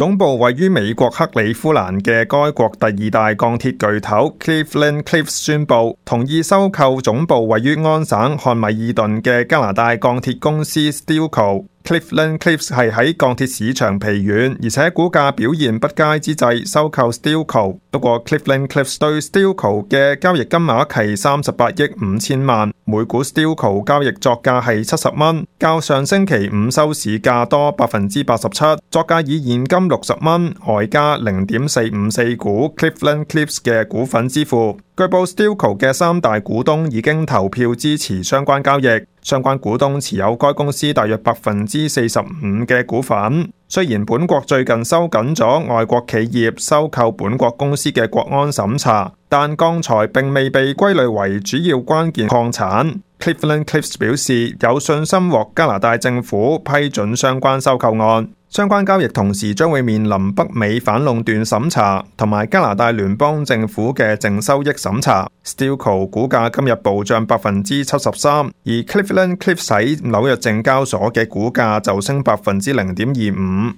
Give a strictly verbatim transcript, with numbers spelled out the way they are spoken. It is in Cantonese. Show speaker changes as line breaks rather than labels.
總部位於美國克里夫蘭嘅該國第二大鋼鐵巨頭 Cleveland-Cliffs 宣布同意收購總部位於安省漢米爾頓嘅加拿大鋼鐵公司 Stelco。Cleveland-Cliffs 係喺鋼鐵市場疲軟，而且股價表現不佳之際收購 Stelco。不過 Cleveland-Cliffs 對 Stelco 嘅交易金額係三十八億五千萬，每股 Stelco 交易作價係七十蚊，較上星期五收市價多百分之八十七，作價以現金六十蚊，外加零點四五四股 Cleveland-Cliffs 嘅股份支付。據報 Stelco 嘅三大股東已經投票支持相關交易，相關股東持有該公司大約百分之四十五嘅股份。雖然本國最近收緊咗外國企業收購本國公司嘅國安審查，但鋼材並未被歸類為主要關鍵礦產。Cleveland-Cliffs 表示有信心獲加拿大政府批准相關收購案。相關交易同時將會面臨北美反壟斷審查同埋加拿大聯邦政府嘅淨收益審查。Stelco 股價今日暴漲百分之七十三，而 Cleveland-Cliffs 喺紐約證交所嘅股價就升百分之零點二五。